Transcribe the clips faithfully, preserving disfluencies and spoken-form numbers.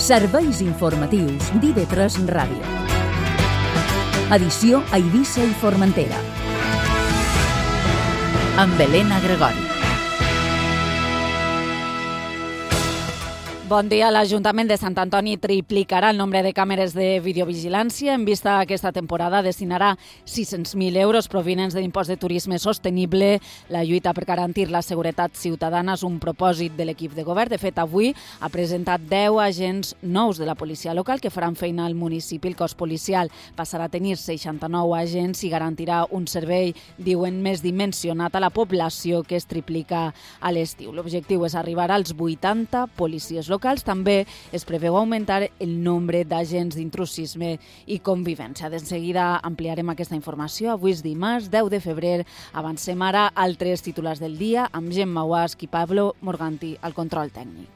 Serveis informatius d'I V tres Ràdio. Edició a Eivissa i Formentera. Amb Helena Gregori. Bon dia. L'Ajuntament de Sant Antoni triplicarà el nombre de càmeres de videovigilància. En vista aquesta temporada destinarà sis-cents mil euros provinents de l'impost de turisme sostenible. La lluita per garantir la seguretat ciutadana és un propòsit de l'equip de govern. De fet, avui ha presentat deu agents nous de la policia local que faran feina al municipi. El cos policial passarà a tenir seixanta-nou agents i garantirà un servei, diuen, més dimensionat a la població, que es triplica a l'estiu. L'objectiu és arribar als vuitanta policies locals. També es preveu augmentar el nombre d'agents d'intrusisme i convivència. De seguida ampliarem aquesta informació. Avui és dimarts, deu de febrer. Avancem ara altres titulars del dia amb Gemma Guasch i Pablo Morganti al control tècnic.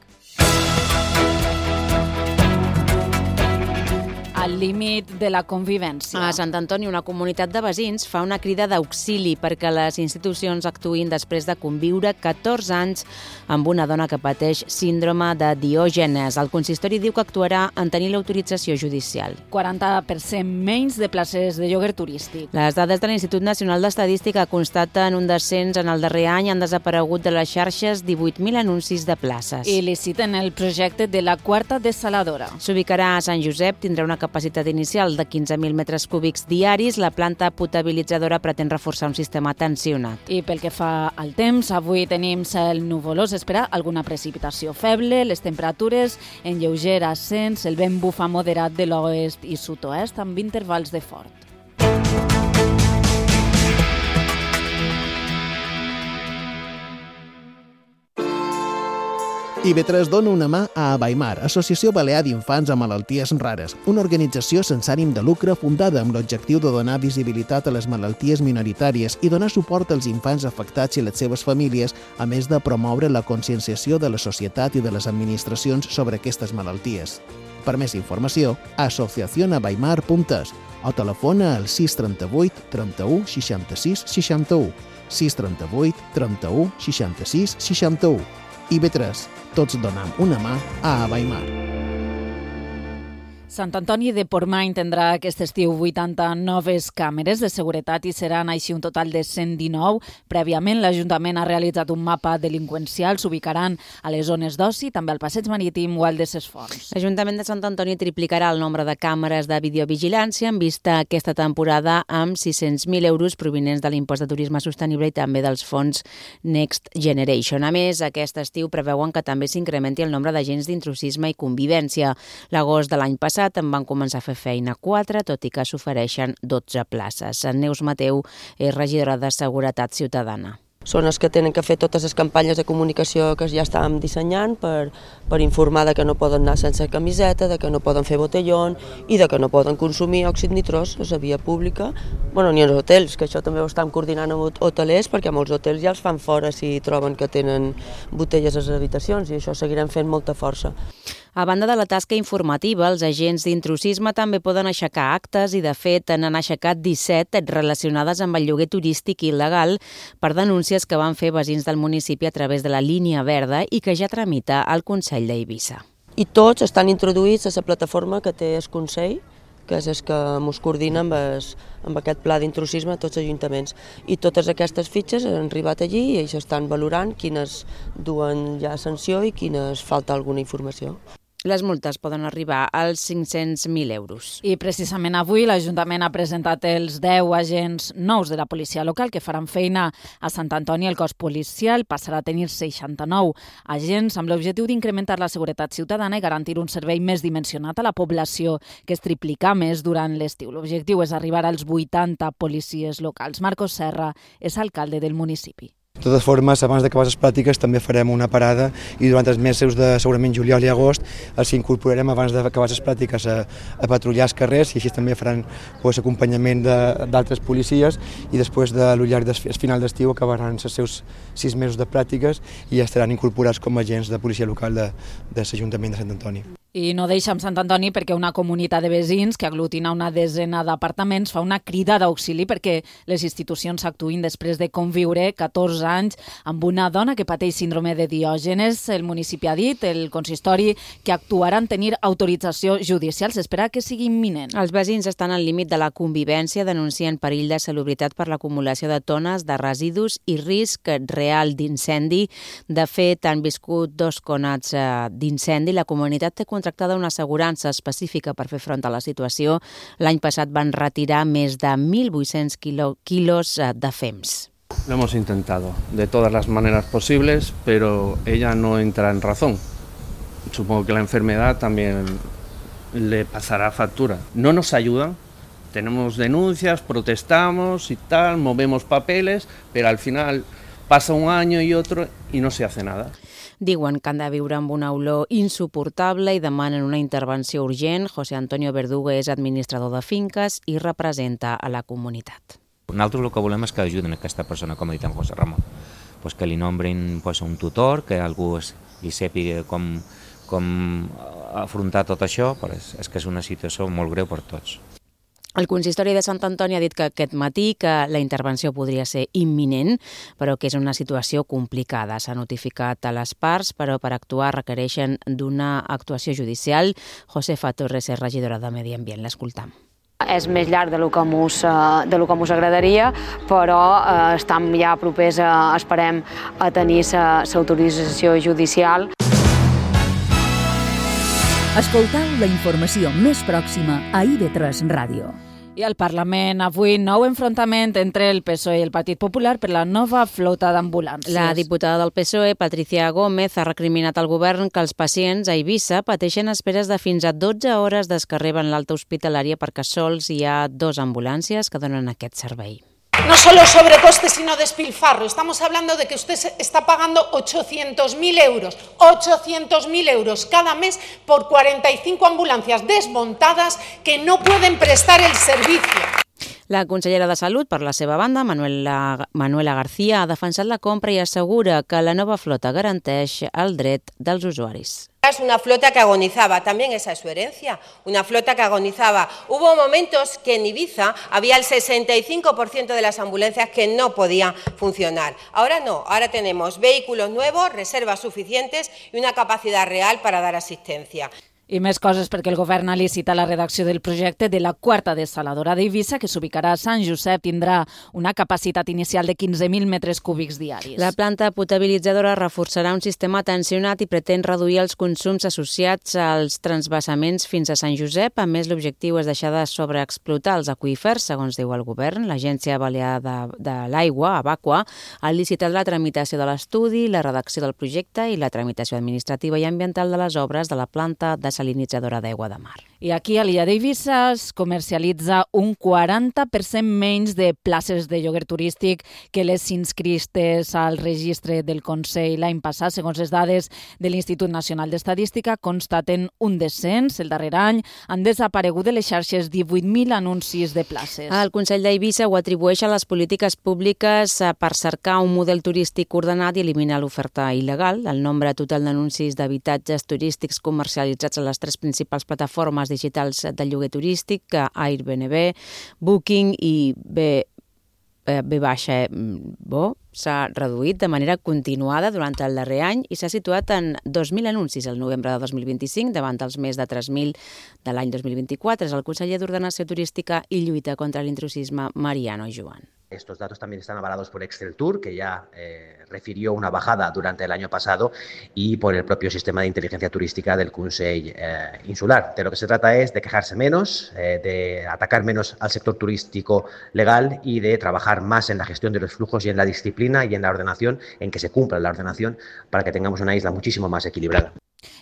Al límit de la convivència. A Sant Antoni, una comunitat de veïns fa una crida d'auxili perquè les institucions actuïn després de conviure catorze anys amb una dona que pateix síndrome de Diògenes. El consistori diu que actuarà en tenir l'autorització judicial. quaranta per cent menys de places de lloguer turístic. Les dades de l'Institut Nacional d'Estadística constaten un descens en el darrer any. Han desaparegut de les xarxes divuit mil anuncis de places. I liciten el projecte de la quarta dessaladora. S'ubicarà a Sant Josep, tindrà una capacitat inicial de quinze mil metres cúbics diaris. La planta potabilitzadora pretén reforçar un sistema tensionat. I pel que fa al temps, avui tenim cel nuvolós, espera alguna precipitació feble, les temperatures en lleuger ascens, el vent bufa moderat de l'oest i sud-oest amb intervals de fort. I V tres dona una mà a Abaimar, Associació Balear d'Infants amb Malalties Rares, una organització sense ànim de lucre fundada amb l'objectiu de donar visibilitat a les malalties minoritàries i donar suport als infants afectats i les seves famílies, a més de promoure la conscienciació de la societat i de les administracions sobre aquestes malalties. Per més informació, asociación abaimar punt es o telefona al sis trenta-vuit trenta-u seixanta-sis seixanta-u, sis trenta-vuit trenta-u seixanta-sis seixanta-u. I V tres, tots donem una mà a Abaimar. Sant Antoni de Portmany tindrà aquest estiu vuitanta noves càmeres de seguretat i seran així un total de cent dinou. Prèviament, l'Ajuntament ha realitzat un mapa delinqüencial. S'ubicaran a les zones d'oci, també al Passeig Marítim o al de Ses Fonts. L'Ajuntament de Sant Antoni triplicarà el nombre de càmeres de videovigilància en vista aquesta temporada amb sis-cents mil euros provinents de l'impost de turisme sostenible i també dels fons Next Generation. A més, aquest estiu preveuen que també s'incrementi el nombre d'agents d'intrusisme i convivència. L'agost de l'any passat en van començar a fer feina quatre, tot i que s'ofereixen dotze places. Neus Mateu és regidora de Seguretat Ciutadana. Són els que tenen que fer totes les campanyes de comunicació que ja estàvem dissenyant per, per informar de que no poden anar sense camiseta, de que no poden fer botellón i de que no poden consumir òxid nitrós a la via pública, bueno, ni als hotels, que això també ho estem coordinant amb hotelers, perquè molts hotels ja els fan fora si troben que tenen botelles a les habitacions, i això seguirem fent molta força. A banda de la tasca informativa, els agents d'intrusisme també poden aixecar actes i, de fet, n'han aixecat disset relacionades amb el lloguer turístic il·legal per denúncies que van fer veïns del municipi a través de la línia verda i que ja tramita el Consell d'Eivissa. I tots estan introduïts a la plataforma que té el Consell, que és el que ens coordina amb, es, amb aquest pla d'intrusisme a tots els ajuntaments. I totes aquestes fitxes han arribat allí i ells estan valorant quines duen ja sanció i quines falta alguna informació. Les multes poden arribar als cinc-cents mil euros. I precisament avui l'Ajuntament ha presentat els deu agents nous de la policia local que faran feina a Sant Antoni. El cos policial passarà a tenir seixanta-nou agents amb l'objectiu d'incrementar la seguretat ciutadana i garantir un servei més dimensionat a la població, que es triplica més durant l'estiu. L'objectiu és arribar als vuitanta policies locals. Marcos Serra és alcalde del municipi. De totes formes, abans d'acabar les pràctiques també farem una parada i durant els mesos de segurament juliol i agost els incorporarem abans d'acabar les pràctiques a, a patrullar els carrers i així també faran pues, acompanyament d'altres policies i després de l'ullar del final d'estiu acabaran els seus sis mesos de pràctiques i ja estaran incorporats com a agents de policia local de, de l'Ajuntament de Sant Antoni. I no deixa amb Sant Antoni perquè una comunitat de veïns que aglutina una desena d'apartaments fa una crida d'auxili perquè les institucions actuïn després de conviure catorze anys amb una dona que pateix síndrome de Diògenes. El municipi ha dit, el consistori, que actuaran tenir autorització judicial. S'espera que sigui imminent. Els veïns estan al límit de la convivència, denuncien perill de salubritat per l'acumulació de tones de residus i risc real d'incendi. De fet, han viscut dos conats d'incendi. La comunitat té contractada una assegurança específica per fer front a la situació. L'any passat van retirar més de mil vuit-cents quilos de fems. Lo hemos intentado de todas las maneras posibles, pero ella no entra en razón. Supongo que la enfermedad también le pasará factura. No nos ayudan, tenemos denuncias, protestamos y tal, movemos papeles, pero al final pasa un año y otro y no se hace nada. Diuen que han de viure amb una olor insuportable i demanen una intervenció urgent. José Antonio Verdugo és administrador de finques i representa a la comunitat. Nosaltres el que volem és que ajuden aquesta persona, com ha dit en José Ramon, pues que li nombrin pues, un tutor, que algú es, li sàpiga com, com afrontar tot això, però és, és que és una situació molt greu per tots. El consistori de Sant Antoni ha dit que aquest matí que la intervenció podria ser imminent, però que és una situació complicada. S'ha notificat a les parts, però per actuar requereixen d'una actuació judicial. Josefa Torres és regidora de Medi Ambient. L'escoltam. És més llarg de lo que mos, de lo que mos agradaria, però eh, estem ja propers, a, esperem, a tenir l'autorització judicial. Escoltau la informació més pròxima a I V tres Ràdio. I al Parlament avui nou enfrontament entre el P S O E i el Partit Popular per la nova flota d'ambulàncies. La diputada del P S O E, Patricia Gómez, ha recriminat al govern que els pacients a Eivissa pateixen esperes de fins a dotze hores des que arriben l'alta hospitalària perquè sols hi ha dos ambulàncies que donen aquest servei. No solo sobrecoste, sino despilfarro. Estamos hablando de que usted está pagando ochocientos mil euros, ochocientos mil euros cada mes por cuarenta y cinco ambulancias desmontadas que no pueden prestar el servicio. La consellera de Salut, per la seva banda, Manuela, Manuela García, ha defensat la compra i assegura que la nova flota garanteix el dret dels usuaris. Es una flota que agonizaba, también esa es su herencia, una flota que agonizaba. Hubo momentos que en Ibiza había el sesenta y cinco por ciento de las ambulancias que no podían funcionar. Ahora no, ahora tenemos vehículos nuevos, reservas suficientes y una capacidad real para dar asistencia. I més coses perquè el govern ha licitat la redacció del projecte de la quarta desaladora d'Eivissa, que s'ubicarà a Sant Josep, tindrà una capacitat inicial de quinze mil metres cúbics diaris. La planta potabilitzadora reforçarà un sistema tensionat i pretén reduir els consums associats als transvasaments fins a Sant Josep. A més, l'objectiu és deixar de sobreexplotar els aqüífers, segons diu el govern. L'Agència Balear de, de l'Aigua, Abaqua, ha licitat la tramitació de l'estudi, la redacció del projecte i la tramitació administrativa i ambiental de les obres de la planta de salinitzadora d'aigua de mar. I aquí a l'illa d'Eivissa es comercialitza un quaranta per cent menys de places de lloguer turístic que les inscrites al registre del Consell l'any passat. Segons les dades de l'Institut Nacional d'Estadística, constaten un descens. El darrer any han desaparegut de les xarxes divuit mil anuncis de places. El Consell d'Eivissa ho atribueix a les polítiques públiques per cercar un model turístic ordenat i eliminar l'oferta il·legal. El nombre total d'anuncis d'habitatges turístics comercialitzats a les tres principals plataformes digitals de lloguer turístic, Airbnb, Booking i B, B baixa Bo, s'ha reduït de manera continuada durant el darrer any i s'ha situat en dos mil anuncis el novembre de dos mil vint-i-cinc davant dels més de tres mil de l'any dos mil vint-i-quatre. És el conseller d'Ordenació Turística i Lluita contra l'intrusisme, Mariano Joan. Estos datos también están avalados por Excel Tour, que ya eh, refirió una bajada durante el año pasado, y por el propio sistema de inteligencia turística del Consell eh, Insular. De lo que se trata es de quejarse menos, eh, de atacar menos al sector turístico legal y de trabajar más en la gestión de los flujos y en la disciplina y en la ordenación, en que se cumpla la ordenación para que tengamos una isla muchísimo más equilibrada.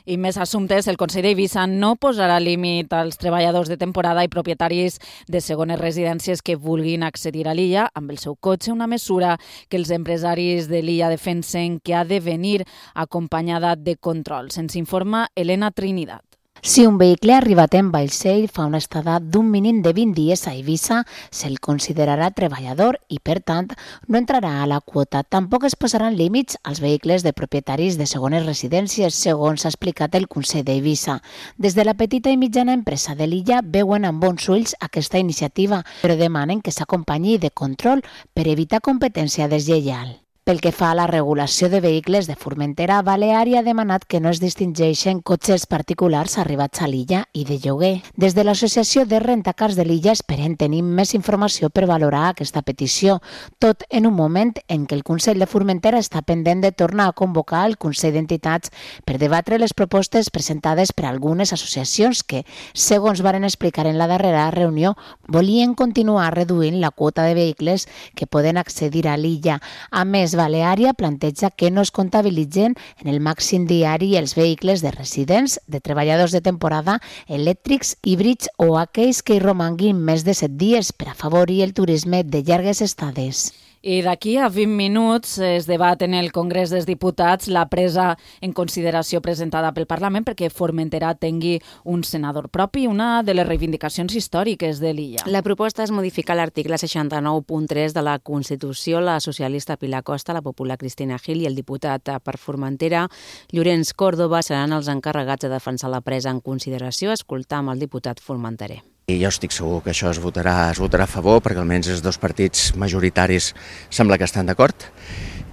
I més assumptes, el Consell d'Eivissa no posarà límit als treballadors de temporada i propietaris de segones residències que vulguin accedir a l'illa amb el seu cotxe, una mesura que els empresaris de l'illa defensen que ha de venir acompanyada de controls. Ens informa Elena Trinidad. Si un vehicle ha arribat en vaixell fa una estada d'un mínim de vint dies a Eivissa, se'l considerarà treballador i, per tant, no entrarà a la quota. Tampoc es posaran límits als vehicles de propietaris de segones residències, segons ha explicat el Consell d'Eivissa. Des de la petita i mitjana empresa de l'illa veuen amb bons ulls aquesta iniciativa, però demanen que s'acompanyi de control per evitar competència deslleial. Pel que fa a la regulació de vehicles de Formentera, Baleària ha demanat que no es distingeixen cotxes particulars arribats a l'illa i de lloguer. Des de l'Associació de Rentacars de l'illa esperen tenir més informació per valorar aquesta petició, tot en un moment en què el Consell de Formentera està pendent de tornar a convocar el Consell d'Entitats per debatre les propostes presentades per algunes associacions que, segons varen explicar en la darrera reunió, volien continuar reduint la quota de vehicles que poden accedir a l'illa. A més, Baleària planteja que no es comptabilitzen en el màxim diari els vehicles de residents, de treballadors de temporada, elèctrics, híbrids o aquells que hi romanguin més de set dies per afavorir el turisme de llargues estades. I d'aquí a vint minuts es debat en el Congrés dels Diputats la presa en consideració presentada pel Parlament perquè Formentera tingui un senador propi, una de les reivindicacions històriques de l'illa. La proposta és modificar l'article seixanta-nou punt tres de la Constitució. La socialista Pilar Costa, la popular Cristina Gil i el diputat per Formentera, Llorenç Córdoba, seran els encarregats de defensar la presa en consideració. Escoltam el diputat formenterer. I jo estic segur que això es votarà, es votarà a favor, perquè almenys els dos partits majoritaris sembla que estan d'acord.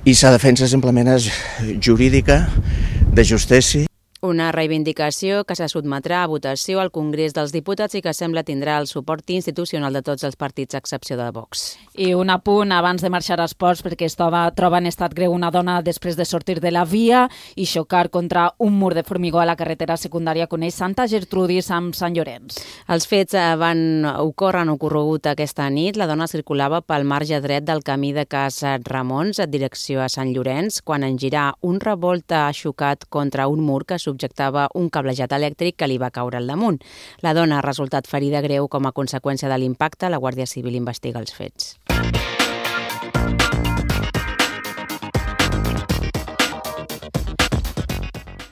I la defensa simplement és jurídica, de justícia. Una reivindicació que se sotmetrà a votació al Congrés dels Diputats i que sembla tindrà el suport institucional de tots els partits, a excepció de Vox. I un apunt abans de marxar a esports, perquè es troba, troba en estat greu una dona després de sortir de la via i xocar contra un mur de formigó a la carretera secundària coneix Santa Gertrudis amb Sant Llorenç. Els fets van ocórrer, han ocorregut aquesta nit. La dona circulava pel marge dret del camí de Casa Ramons en direcció a Sant Llorenç quan en girar un revolt ha xocat contra un mur que subjectava un cablejat elèctric que li va caure al damunt. La dona ha resultat ferida greu com a conseqüència de l'impacte. La Guàrdia Civil investiga els fets.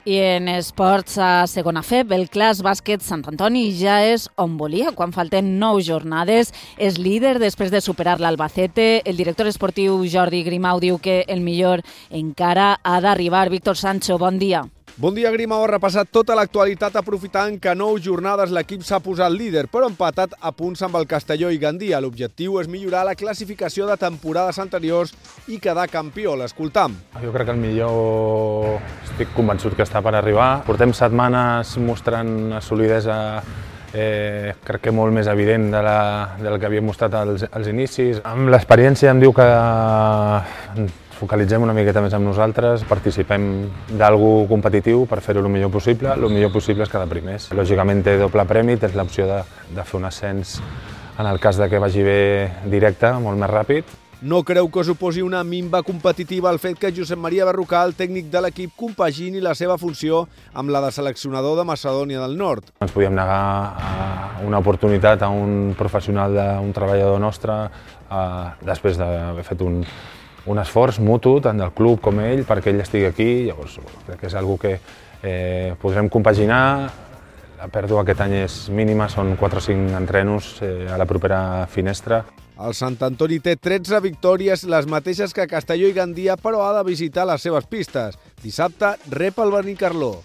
I en esports a segona F, el Clas Bàsquet Sant Antoni ja és on volia. Quan falten nou jornades, és líder després de superar l'Albacete. El director esportiu Jordi Grimau diu que el millor encara ha d'arribar. Víctor Sancho, bon dia. Bon dia, Grimau ha repassat tota l'actualitat aprofitant que a nou jornades l'equip s'ha posat líder, però empatat a punts amb el Castelló i Gandia. L'objectiu és millorar la classificació de temporades anteriors i quedar campió. L'escoltam. Jo crec que el millor estic convençut que està per arribar. Portem setmanes mostrant solidesa, eh, crec que molt més evident de la, del que havíem mostrat als, als inicis. Amb l'experiència em diu que focalitzem una miqueta més amb nosaltres, participem d'algú competitiu per fer-ho el millor possible. El millor possible és quedar primers. Lògicament té doble premi, tens l'opció de, de fer un ascens en el cas de que vagi bé directe, molt més ràpid. No creu que suposi una minva competitiva el fet que Josep Maria Berrocal, tècnic de l'equip, compagini la seva funció amb la de seleccionador de Macedònia del Nord. Ens podíem negar a una oportunitat a un professional, un treballador nostre, després d'haver fet un un esforç mutu, tant del club com ell, perquè ell estigui aquí. Llavors, crec que és una cosa que eh, podrem compaginar. La pèrdua aquest any és mínima, són quatre o cinc entrenos eh, a la propera finestra. El Sant Antoni té tretze victòries, les mateixes que Castelló i Gandia, però ha de visitar les seves pistes. Dissabte rep el Benicarló.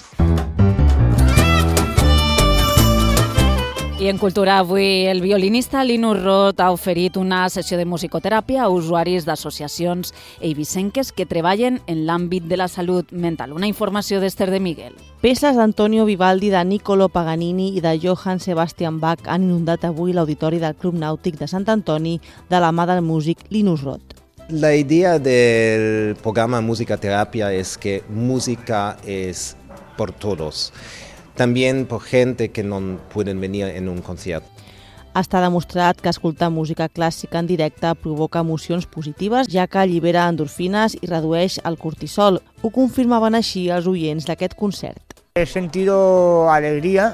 I en cultura avui el violinista Linus Roth ha oferit una sessió de musicoteràpia a usuaris d'associacions eivissenques que treballen en l'àmbit de la salut mental. Una informació d'Ester de Miguel. Peces d'Antonio Vivaldi, de Niccolo Paganini i de Johann Sebastian Bach han inundat avui l'auditori del Club Nàutic de Sant Antoni de la mà del músic Linus Roth. La idea del programa Musicoterapia es que música es por todos. También por gente que no pueden venir en un concierto. Està demostrat que escoltar música clàssica en directe provoca emocions positives, ja que allibera endorfines i redueix el cortisol. Ho confirmaven així els oients d'aquest concert. He sentido alegría,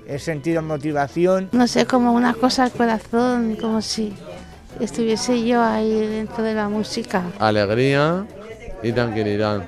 he sentido motivación. No sé, como una cosa al corazón, como si estuviese yo ahí dentro de la música. Alegría y tranquilidad.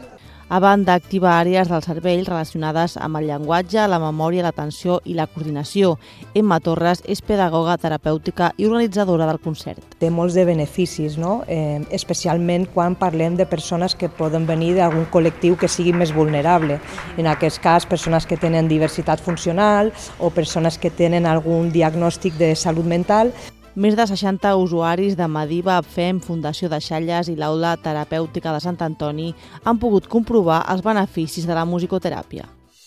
a banda d'activar àrees del cervell relacionades amb el llenguatge, la memòria, l'atenció i la coordinació. Emma Torres és pedagoga terapèutica i organitzadora del concert. Té molts de beneficis, no? eh, especialment quan parlem de persones que poden venir d'algun col·lectiu que sigui més vulnerable. En aquest cas, persones que tenen diversitat funcional o persones que tenen algun diagnòstic de salut mental. Més de seixanta usuaris de Mediva, Abfem, Fundació de Xalles i l'Aula Terapèutica de Sant Antoni han pogut comprovar els beneficis de la musicoteràpia.